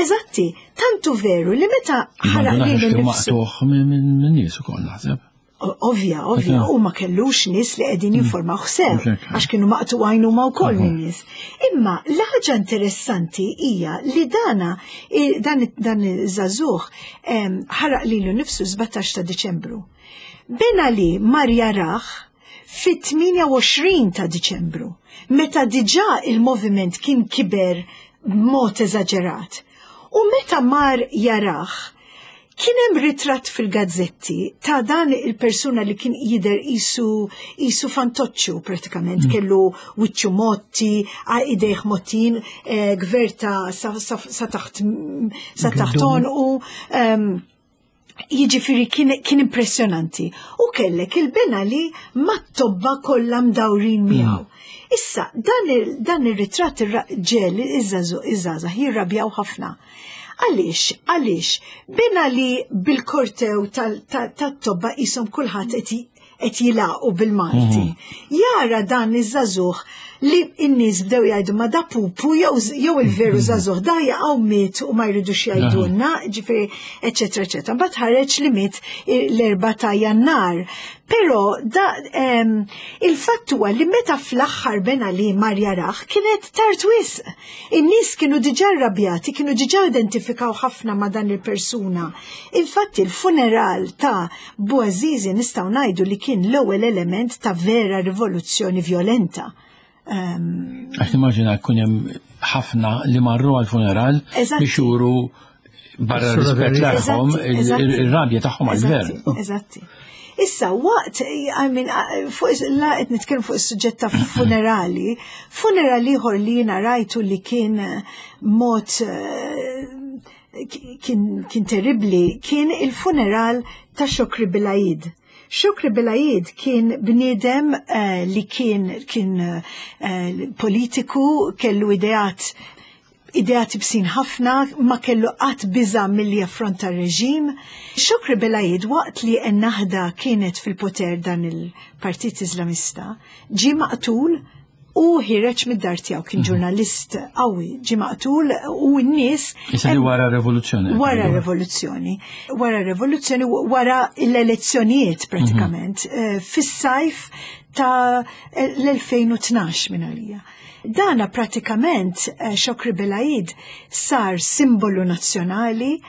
Eżatti, tantu veru li meta ħaraq lilu nnifsu. Maqtuħ minn nies ukoll naħseb. Ovvja, ovvja, u ma kellux nies li qegħdin jinformaw sew, għax kienu maqtugħin huma wkoll min-nies. Imma l-ħaġa interessanti hija li dana dan dan iż-żagħżugħ ħaraq lilu nifsu sbatax ta' Diċembru. Ben Ali mar jarah fit-tmienja u għoxrin ta' Diċembru, meta diġà il-moviment kien kiber b'mod eżaġerat. U meta mar jarah, kien hemm ritratt fil-gazzetti ta' dan il-persuna li kien jidher isu isu fantoċċu pratikament, mm. kellu wiċċu motti, idejh mottin, eh, gverta sa, sa, sa taħt sa taħt u um, jiġifieri kien, kien impressjonanti. U kellek il-Ben Ali mat-tobba kollha mdawrin miegħu. Mm. Issa, dan il, dan il-ritratt ġiegħel iż-żgħażagħ jirrabjaw ħafna. Għaliex, għaliex, Ben Ali bil-kortew tat-tobba jisom kulħadd qed jilaqu bil-Malti. Jara dan iż-żagħżugħ li n-nies bdew jgħidu ma da pupu jew il-veru żagħżugħ da jaqgħu miet u ma jridux jgħidulna, ġifieri, eċetera, eċetera. Mbagħad ħareġ li miet l-erba' ta' Jannar. Però da il-fatt huwa li meta fl-aħħar Ben Ali mar jarah kienet tard wisq. In-nies kienu diġà rrabjati, kienu diġà identifikaw ħafna ma' dan il-persuna. Infatti il-funeral ta' Bouazizi nistgħu ngħidu li kien l-ewwel element ta' vera rivoluzzjoni violenta. Għax nimmaġina jkun hemm ħafna li marru għal-funeral biex juru barra rispett tagħhom ir-rabja tagħhom għall-gvern. Eżatti. Issa, waqt, I mean, fuq, la qed nitkellem fuq is-suġġett ta' funerali, funerali ieħor li jiena rajtu li kien mod kien, kien terribli, kien il-funeral ta' Chokri Belaid. Chokri Belaid kien bniedem uh, li kien, kien uh, politiku, kellu ideat ideat ibsin ħafna, ma kellu qatt biża milli jaffronta r-reġim. Chokri Belaid, waqt li Ennahda kienet fil-poter dan il-Partit Islamista, ġi maqtul u ħireġ mid-dar tiegħu, kien ġurnalist qawwi, ġi maqtul u n-nies. Issa li wara revoluzzjoni. Wara revoluzzjoni. Wara revoluzzjoni, wara l-elezzjonijiet pratikament, fis-sajf ta' l-elfejn u tnax minn għalija. Dana pratikament Chokri Belaid sar simbolu nazzjonali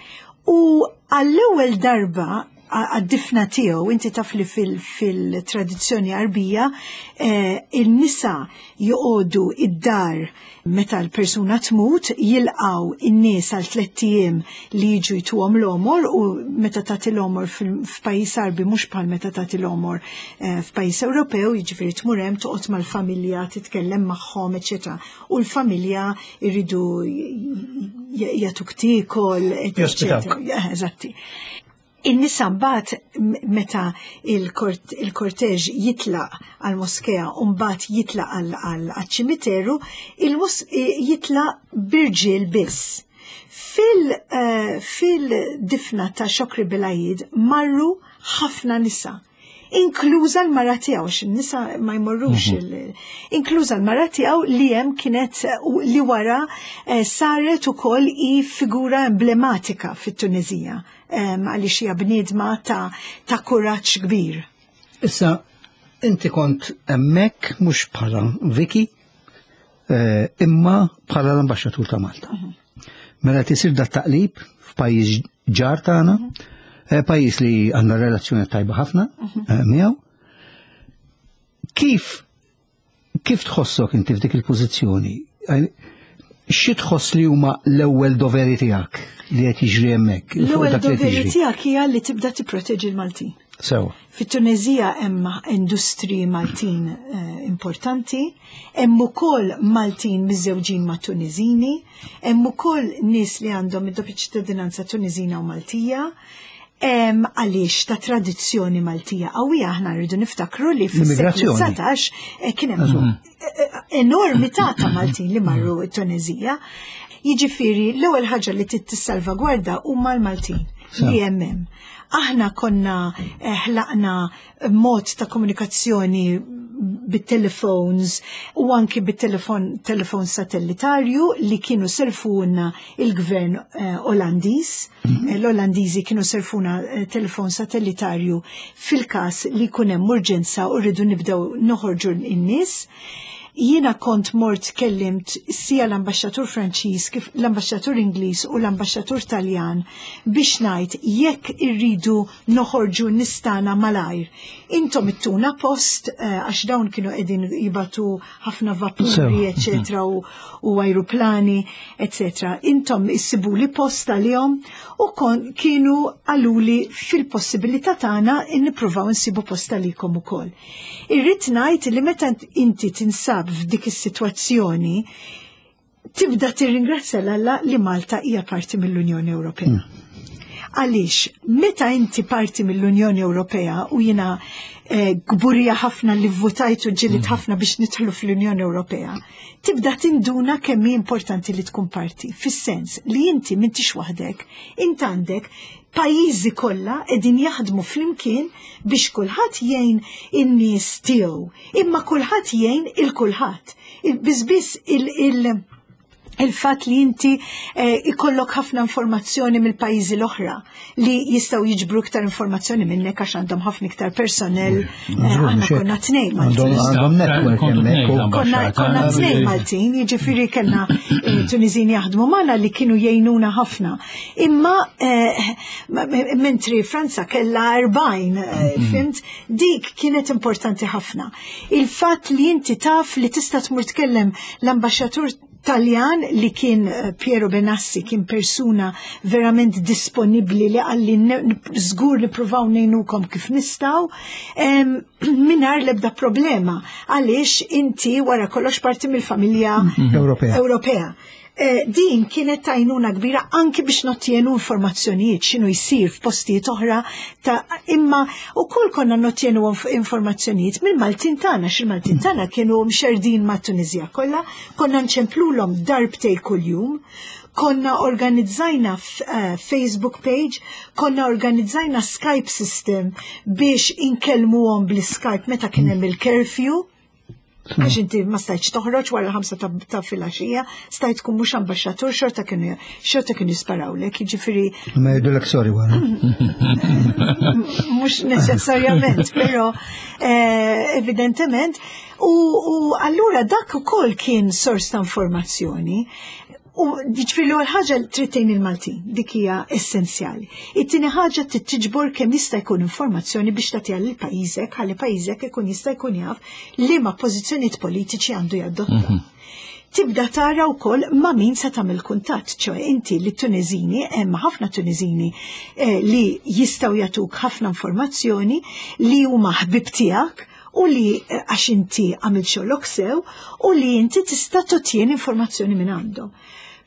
u għall-ewwel darba għad-difna tiegħu, inti taf li fil-tradizzjoni Arbija, il-nisa joqogħdu id-dar meta l-persuna tmut, jilqaw in-nies għal tlett ijiem li jiġu jtuhom l-omor, u meta tagħti l-omor f'pajjiż Arbi mhux bħal meta tagħti l-omor f'pajjiż Ewropew, jiġifieri tmur hemm toqgħod mal-familja, titkellem magħhom, eċetera. U l-familja jridu jagħtuk tiekol, eċetera. Eżatti. In-nisa mbagħad meta il-korteġ jitlaq għal-moskea u mbagħad jitlaq għal-ċimiteru, jitlaq b'irġiel biss. Fil-difna ta' Chokri Belaid marru ħafna nisa, inkluża l-mara tiegħu, għax in-nisa ma jmorrux, inkluża l-mara tiegħu li hemm kienet li wara saret ukoll i figura emblematika fit-Tunezija, għaliex hija bniedma ta' ta' kuraġġ kbir. Issa, inti kont hemmhekk mhux bħala Vicky, imma bħala l-ambaxxatur ta' Malta. Mela tisir dat taqlib f'pajjiż ġar tagħna, pajjiż li għandna relazzjoni tajba ħafna miegħu. Kif kif tħossok inti f'dik il-pożizzjoni? Xi tħoss li huma l-ewwel doveri tiegħek li qed jiġri hemmhekk? L-ewwel doveri tiegħek hija li tibda tipproteġi l-Maltin. Sewa. Fit-Tunezija hemm industriji Maltin importanti, hemm ukoll Maltin miżewġin ma' Tunezini, hemm ukoll nies li għandhom id-doppja ċittadinanza Tunezina u Maltija. Għaliex ta' tradizzjoni Maltija qawwija aħna rridu niftakru li fis-seklu dsatax kien hemm enormità ta' Maltin li marru t-Tunezija. Jiġifieri l-ewwel ħaġa li trid tissalvagwarda huma l-Maltin li hemm hemm. Aħna konna ħlaqna mod ta' komunikazzjoni bit-telefons u anki bit-telefon telefon satellitarju li kienu selfuna il-gvern eh, Olandiż. Eh, L-Olandiżi kienu selfuna eh, telefon satellitarju fil-każ li jkun hemm urġenza u rridu nibdew noħorġu n-nies. Jiena kont mort kellimt sija l-ambaxxatur Franċiż, kif l-ambaxxatur Ingliż u l-ambaxxatur Taljan biex ngħid jekk irridu noħorġu nistana malajr. Intom ittuna post eh, għax dawn kienu qegħdin jibagħtu ħafna vapuri, Sew. eccetera, u, u ajruplani, eccetera. Intom issibuli post għalihom u kon kienu qaluli fil-possibilità tagħna nippruvaw nsibu post għalikom ukoll. Irrid ngħid li meta inti tinsab f'dik is-sitwazzjoni tibda tirringrazzja l-Alla li Malta hija parti mill-Unjoni Ewropea. Għaliex, meta inti parti mill-Unjoni Ewropea u jiena eh, kburija ħafna li votajt u ġġilidt ħafna biex nidħlu fl-Unjoni Ewropea, tibda tinduna kemm hi importanti li tkun parti, fis-sens li inti m'intix waħdek, int għandek pajjiżi kollha qegħdin jaħdmu flimkien biex kulħadd jgħin in-nies tiegħu, imma kulħadd jgħin il kulħadd. Il- Biss biss il-, il il-fat li inti eh, ikollok ħafna informazzjoni mill-pajjiżi l-oħra li jistgħu jiġbru iktar informazzjoni minnek għax għandhom ħafna iktar personnel. Eh, Żgur, Aħna mhux hekk. konna tnejn Maltin. Għandhom għandhom network Kontu tnejn hemmhekk u- Konna, l-ambaxxata. konna tnejn Maltin, jiġifieri kellna eh, Tuniżini jaħdmu magħna li kienu jgħinuna ħafna. Imma eh, ma- mentri Franza kellha erbgħin, eh, fhimt, dik kienet importanti ħafna. Il-fatt li inti taf li tista' tmur tkellem l-ambaxxatur Taljan li kien eh, Piero Benassi, kien persuna verament disponibli li qalli żgur nippruvaw ngħinukom kif nistgħu, em, mingħajr l-ebda problema, għaliex inti wara kollox parti mill-familja Ewropea. Ewropea. Eh, din kienet tajnuna kbira anki biex nottjenu informazzjonijiet x'inhu jsir f'postijiet oħra ta' imma ukoll konna nottjenu inf- informazzjonijiet mill-Maltin tagħna, x'il-Maltin tagħna kienu mxerdin ma' Tunizija kollha, konna nċemplulhom darbtej kuljum, konna organizzajna f- eh, Facebook page, konna organizzajna Skype system biex inkellmuhom bl-Skype meta kien hemm il-curfew. Għax inti ma stajtx toħroġ wara ħamsa ta', ta' filgħaxija, stajt tkun mhux ambaxxatur, xorta kienu xorta kienu jisparawlek, jiġifieri Ma jgħidulek sorry wara. mhux neċessarjament, però eh, evidentement. U, u allura dak ukoll kien sors ta' informazzjoni. U ġifieri l-ewwel ħaġa trid tgħin il-Maltin, dik hija essenzjali. It-tieni ħaġa trid tiġbor kemm jista' jkun informazzjoni biex tagħtiha lil pajjiżek, ħalli pajjiżek ikun jista' jkun jaf liema pożizzjonijiet politiċi għandu jadotta. Tibda tara wkoll ma' min se tagħmel kuntatt, ċoè inti li Tuniżini, hemm ħafna Tuniżini eh, li jistgħu jagħtuk ħafna informazzjoni li huma ħbib tiegħek u li eh, għax inti għamilt xogħlok sew u li inti tista' totjeni informazzjoni minn għandhom.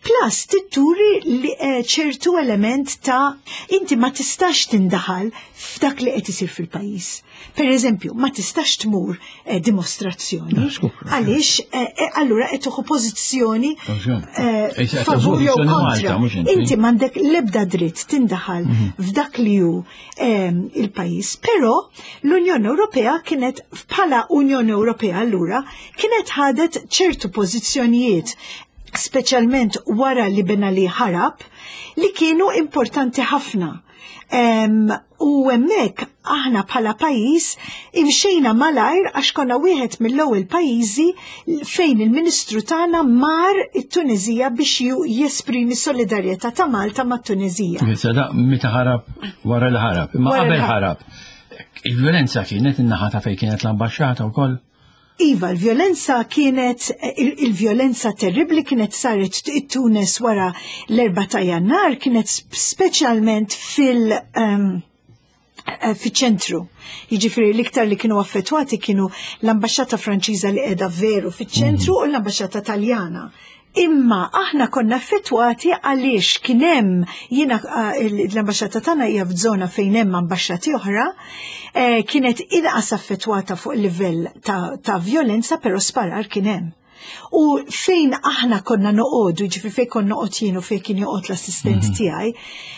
Plus, titturi li eh, ċertu element ta' inti ma tistax tindaħal f'dak li qed isir fil-pajjiż. Per eżempju, ma tistax tmur eh, dimostrazzjoni. Għaliex, eh, eh, allura qed tieħu pożizzjoni eh, Eh, qed favur jew pożizzjoni kontra. Malta, mhux inti. Inti m'għandek l-ebda dritt tindaħal f'dak li hu ehm, il-pajjiż. Però l-Unjoni Ewropea kienet bħala Unjoni Ewropea allura kienet ħadet ċertu pożizzjonijiet, speċjalment wara li Ben Ali ħarab, li kienu importanti ħafna. Em, u hemmhekk aħna bħala pajjiż imxejna malajr għax konna wieħed mill-ewwel pajjiżi fejn il-Ministru tagħna mar it-Tunizija biex ju- jesprimi solidarjetà ta' Malta mat-Tunizija. Issa da meta ħarab, wara li ħarab, imma Wara li qabel ħarab. ħarab. Il-violenza kienet in-naħa ta' fejn kienet l-ambaxxata wkoll. Iva, il-violenza kienet, il- il-violenza terribli kienet saret it-Tunes wara l-erba ta' Jannar, kienet speċjalment fil- um, eh, fiċ-ċentru. Jiġifieri l-iktar li kienu affettwati kienu l-ambaxxata Franċiża li qiegħda veru fiċ-ċentru u l-ambaxxata Taljana. Imma aħna konna affettwati għaliex kien hemm jiena eh, l-ambaxxata tagħna hija f'żona fejn hemm ambaxxati oħra, eh, kienet inqas affettwata fuq livell ta', ta' violenza, però sparar kien hemm. U fejn aħna konna noqogħdu, ġifieri fejn konna noqgħod jien u fejn kien joqgħod l-assistent mhm. tiegħi,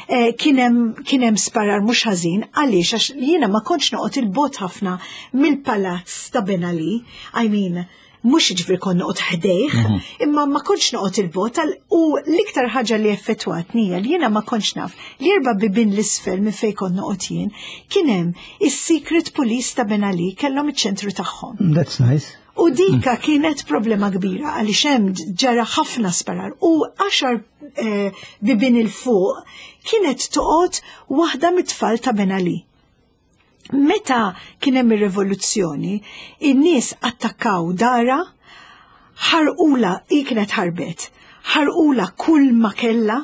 eh, kien hemm sparar mhux ħażin. Għaliex? Għax jiena ma kontx noqgħod il-bogħod ħafna mill-palazz ta' Ben Ali, I mean, mhux ġifieri kont noqgħod ħdejh, mhm. imma ma kontx noqgħod il-bogħod. U l-iktar ħaġa li effettwatni hija li jiena ma kontx naf li erba' bibien 'l isfel minn fejn kont noqgħod jien kien hemm is-secret police ta' Ben Ali, kellhom iċ-ċentru tagħhom. That's nice. U dika kienet problema kbira għaliex hemm ġara ħafna sparar u għaxar eh, bibien 'il fuq kienet toqgħod waħda mit-tfal ta' Ben Ali. Meta kien hemm ir-rivoluzzjoni, in-nies attakkaw darha, ħarqula, hi kienet ħarbet, ħarqula kull ma kella.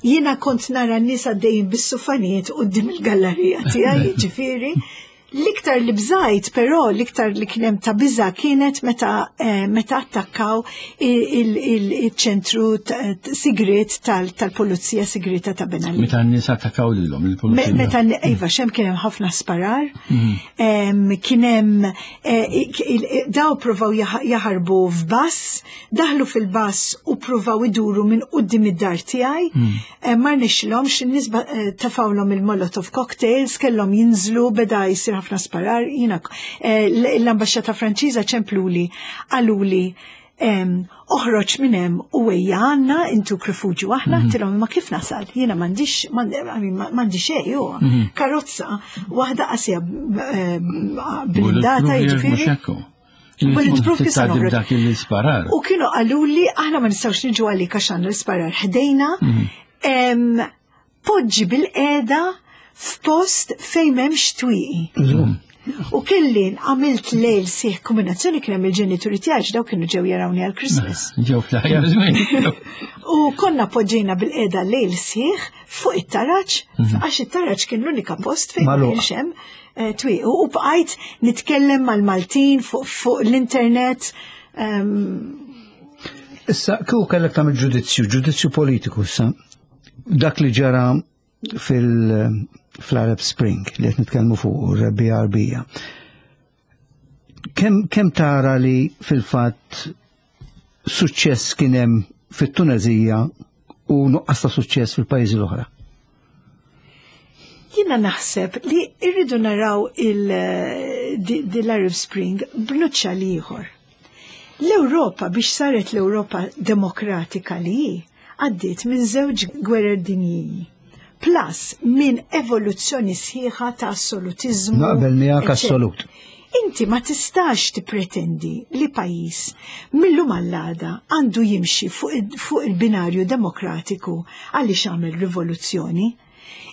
Jiena kont nara n-nies għaddejjin bis-sufanijiet quddiem il-gallerija tiegħi, ġifieri. L-iktar li bżajt, però l-iktar li kien hemm ta' biża kienet meta eh, meta attakkaw il-ċentru sigret tal-pulizija sigrita ta' Ben Ali. Meta n-nies attakkaw lilhom il-pulizija. Meta, iva, hemm kien hemm ħafna sparar, mhm. kien hemm eh, daw provaw jaħarbu f'bus, daħlu fil-bus u provaw iduru minn quddiem id-dar tiegħi, mhm. eh, ma rnexxilhomx, in-nies tefgħulhom il-Molotov cocktails, kellhom jinżlu, beda jsir ħafna sparar. Jiena eh, l-ambasċata Franċiża ċempluli, qaluli, "Oħroġ minn hemm u ejja għandna, intuk rifuġju aħna." Mhm. Għedtilhom, "Ma kif nasal? Jiena m'għandix m'għandi xejn, ju. Mhm. Karozza waħda qasija blindata, jiġifieri." Bulletproof kif dak il-sparar. U kienu qaluli, "Aħna ma nistgħux niġu għalik għax għandna l-sparar ħdejna. Mhm. Poġġi bilqiegħda f'post fejn m'hemmx twieqi." U kelli għamilt lejl sħiħ kombinazzjoni, kien hemm il-ġenituri tiegħi, daw kienu ġew jarawni għal Christmas. Ġew fl-aħjar. U konna poġġejna bilqiegħda lejl sħiħ fuq it-taraġ, mhm. għax it-taraġ kien l-unika post fejn ma kienx hemm eh, twieqi. U bqajt nitkellem mal-Maltin fuq l-internet. Issa, kieku kellek tagħmel ġudizzju, ġudizzju politiku issa, dak li ġara fil- fl-Arab Spring li qed nitkellmu fuq, Rebbiegħa Għarbija. Kemm kem tara li fil-fatt suċċess kien hemm fit-Tunezija u nuqqas ta' suċċess fil-pajjiżi l-oħra? Jiena naħseb li irridu naraw l-Arab Spring b'nuċċali ieħor. L-Ewropa, biex saret l-Ewropa demokratika li hi, għaddiet minn żewġ gwerer dinjiji plus minn evoluzzjoni sħiħa ta' assolutizmu. Naqbel miegħek assolut. Inti ma tistax tippretendi li pajjiż millum għall-għada għandu jimxi fuq fuq il-binarju demokratiku għaliex għamel rivoluzzjoni.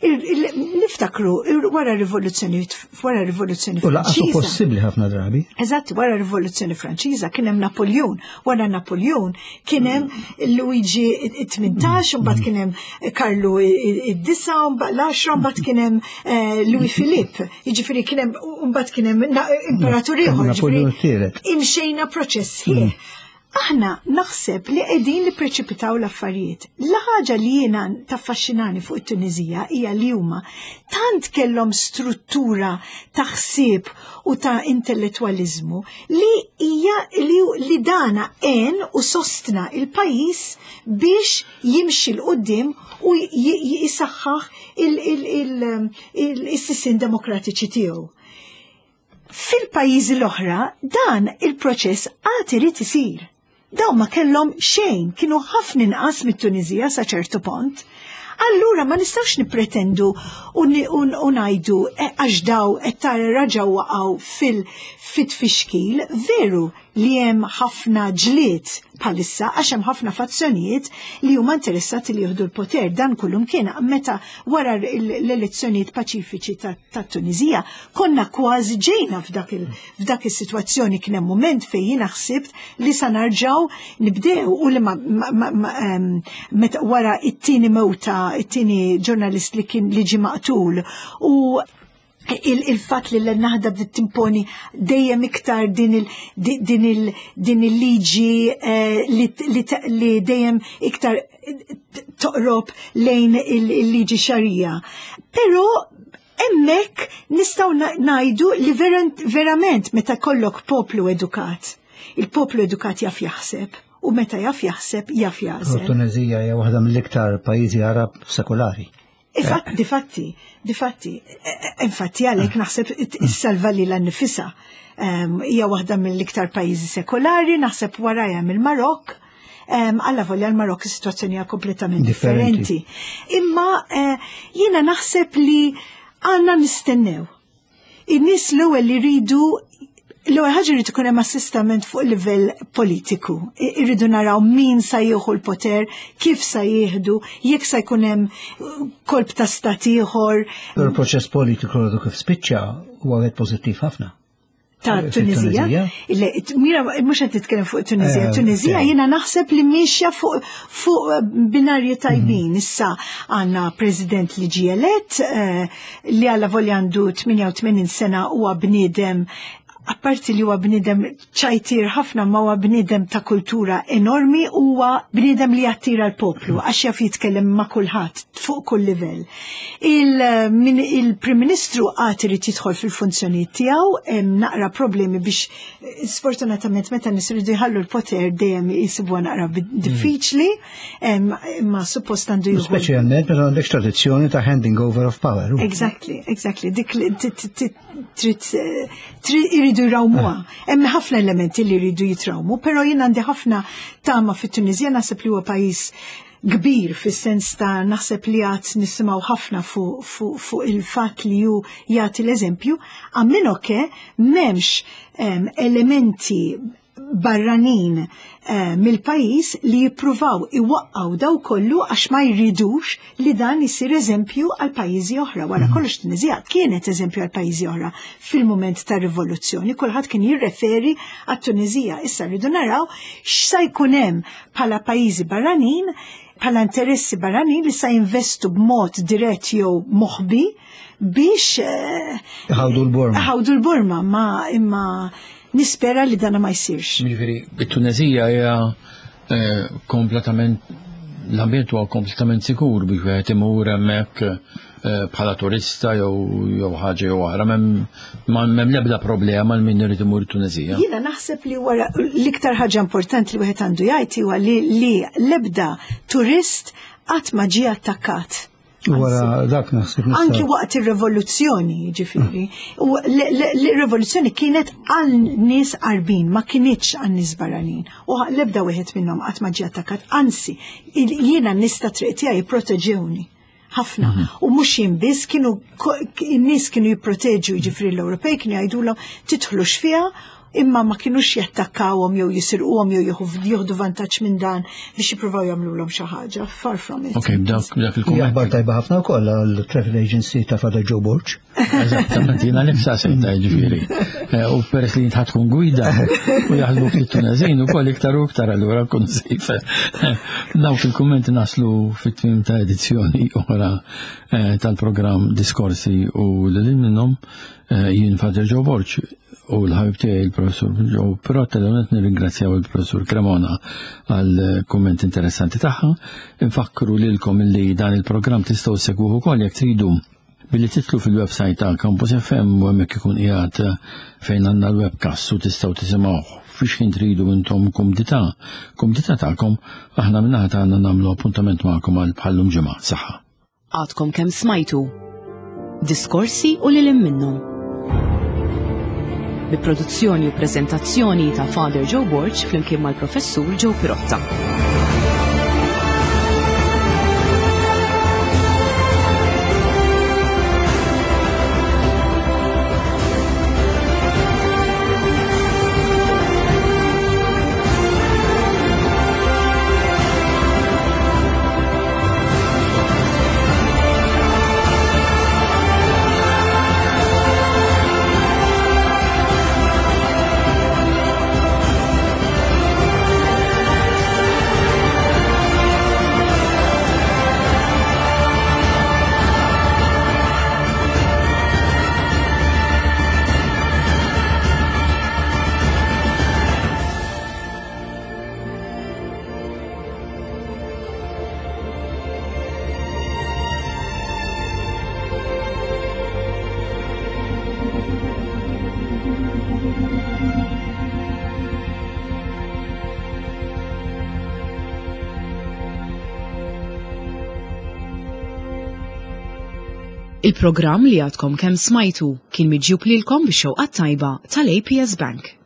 Niftakru wara rivoluzzjoni wara rivoluzzjoni U lanqas possibbli ħafna drabi. Eżatt, wara rivoluzzjoni Franċiża kien hemm Napoleon, wara Napoleon kien hemm Luigi tmintax, mbagħad kien hemm Karlu id-disa, mbagħad l-għaxra, mbagħad kien hemm eh, Louis Philippe. Jiġifieri kien hemm mbagħad kien hemm imperatur ieħor. Imxejna proċess ħieħ. Aħna naħseb li qegħdin li preċipitaw l-affarijiet. L-ħaġa li jiena taffaxxinani fuq it-Tunizija hija li huma tant kellhom struttura ta' ħsieb u ta' intellettwaliżmu li hija li, li dana għen u sostna il-pajjiż biex jimxi 'l quddiem u jisaħħaħ il-sistemi demokratiċi tiegħu. Fil-pajjiżi l-oħra dan il-proċess għad irid isir. Daw ma kellhom xejn, kienu ħafna inqas mit-Tunizija sa ċertu punt. Allura ma nistgħux nippretendu u ngħidu eh, għax daw qed tara raġaw waqgħu fil-fitfixkil. Veru li hemm ħafna ġlied bħalissa għax hemm ħafna fazzjonijiet li huma interessati li jieħdu l-poter. Dan kullum kien meta wara l-elezzjonijiet paċifiċi ta' Tunizija konna kważi ġejna f'dak is-sitwazzjoni. Kien hemm mument fejn jiena ħsibt li sa narġaw nibdew u li meta wara it-tieni mewta, it-tieni ġurnalist li kien li ġie maqtul u il-fat li l-Naħda bdiet timponi dejjem iktar din il-liġi eh, li dejjem iktar toqrob lejn il-liġi xarija. Però hemmhekk nistgħu ngħidu li verament meta kollok poplu edukat Il-poplu edukat jaf jaħseb u meta jaf jaħseb jaf jażel. Tunezija hija waħda mill-iktar pajjiżi Arab sekulari. Infatti, difatti, difatti, infatti għalhekk naħseb issalva lilha nnifisha. Hija waħda mill-iktar pajjiżi sekolari, naħseb warajha mill-Marokk. Alla volja l-Marokk is-sitwazzjoni hija kompletament differenti. Imma jiena naħseb li għandna nistennew. In-nies l-ewwel li jridu l-ewwel ħaġa jrid ikun hemm assistament fuq livell politiku. Irridu naraw min sa jieħu l-poter, kif sa jieħdu, jekk sa jkun hemm kolp ta' stat ieħor. Il-proċess politiku għadu kif spiċċa huwa wieħed pożittiv ħafna. Ta' Tunizija. Mira, mhux qed titkellem fuq Tunizija. Tunizija jiena naħseb li miexja fuq fuq binarji tajbin. Issa għandna president li ġie elett, li alla volja għandu tmienja u tmenin sena huwa bniedem, apparti li huwa bniedem ċajtir ħafna, ma huwa bniedem ta' kultura enormi, huwa bniedem li jattira l-poplu għax jaf jitkellem ma' kulħadd fuq kull livell. Il-Prim Ministru għad irid jidħol fil-funzjonijiet tiegħu, hemm naqra problemi biex sfortunatament meta nies iridu jħallu l-poter dejjem jisibuha naqra diffiċli, imma suppost għandu jieħu. Speċjalment meta għandek tradizzjoni ta' handing over of power. Exactly, exactly. Dik trid iridu jrawmuha. Hemm ħafna elementi li jridu jitrawmu, però jien għandi ħafna tama fit-Tunisija, naħseb li huwa pajjiż kbir fis-sens ta' naħseb li għad nisimgħu ħafna fuq fu, fu il-fatt li hu jagħti l-eżempju, għammin oke m'hemmx um, elementi barranin uh, mill-pajjiż li jippruvaw iwaqqgħu daw kollu għax ma jridux li dan isir eżempju għal pajjiżi oħra. Wara kollox Tunizija kienet eżempju għal pajjiżi oħra fil-mument tar-rivoluzzjoni, kulħadd kien jirreferi għat-Tunizija. Issa rridu naraw x'sa jkun hemm bħala pajjiżi barranin, bħala interessi barranin li sa jinvestu b'mod dirett jew moħbi biex ħawdu l-Burma. Ħawdu l-Burma, ma imma nispera li dana ma jsirx. Jiġifieri, it-Tunezija hija kompletament, l-ambjent huwa kompletament sikur biex wieħed imur hemmhekk bħala turista jew ħaġa jew oħra, m'hemm l-ebda problema għal min irid imur it-Tunezija. Jiena naħseb li wara l-iktar ħaġa importanti li wieħed għandu jgħid huwa li l-ebda turist qatt ma ġie attakkat. Wara dak naħseb. Anki waqt ir-rivoluzzjoni, ġifieri. U l-rivoluzzjoni kienet għal nies Arbin, ma kinitx għal nies barranin. U l-ebda wieħed minnhom qatt ma ġie attakkat. Anzi, jiena n-nies ta' triq tiegħi jipproteġewni ħafna. U mhux jien biss, kienu n-nies kienu jipproteġu, jiġifieri l-Ewropej kienu jgħidulhom tidħlux fiha, imma ma kienux jattakkawhom jew jisirquhom jew jieħdu vantaġġ minn dan biex jippruvaw jagħmluhom xi ħaġa. Far from it. Ok, dak dak il-kumment. Aħbar tajba ħafna wkoll għall-travel agency ta' Father Joe Borg. Eżattament, jiena nifsa sejta jiġifieri. U peress li jintħad tkun gwida u jaħdmu ftit Tunezin ukoll iktar u iktar allura kun sejf. Dawk il-kummenti naslu fit-tmiem ta' edizzjoni oħra tal-programm Diskorsi u lil minnhom jien Father Joe Borg u l-ħabib tiegħi il-Professur Joe Pirotta. L-għonet nirringrazzjaw il-Professur Cremona għal kumment interessanti tagħha. Infakru lilkom li dan il-programm tistgħu segwuh ukoll jekk tridu billi titlu fil-website ta' Campus F M u hemmhekk ikun qiegħed fejn għandna l-webcast u tistgħu tisimgħuh fiex kien tridu intom kumdità. Kumdità tagħkom aħna min-naħa tagħna nagħmlu appuntament magħkom għal bħallum ġimgħa. Saħħa. Għadkom kemm smajtu Diskorsi u lil minnhom. Bi produzzjoni u prezentazzjoni ta' Father Joe Borg flimkien mal-Professur Joe Pirotta. Il-programm li għadkom kemm smajtu kien miġjub lilkom bix-xewqa tajba tal-A P S Bank.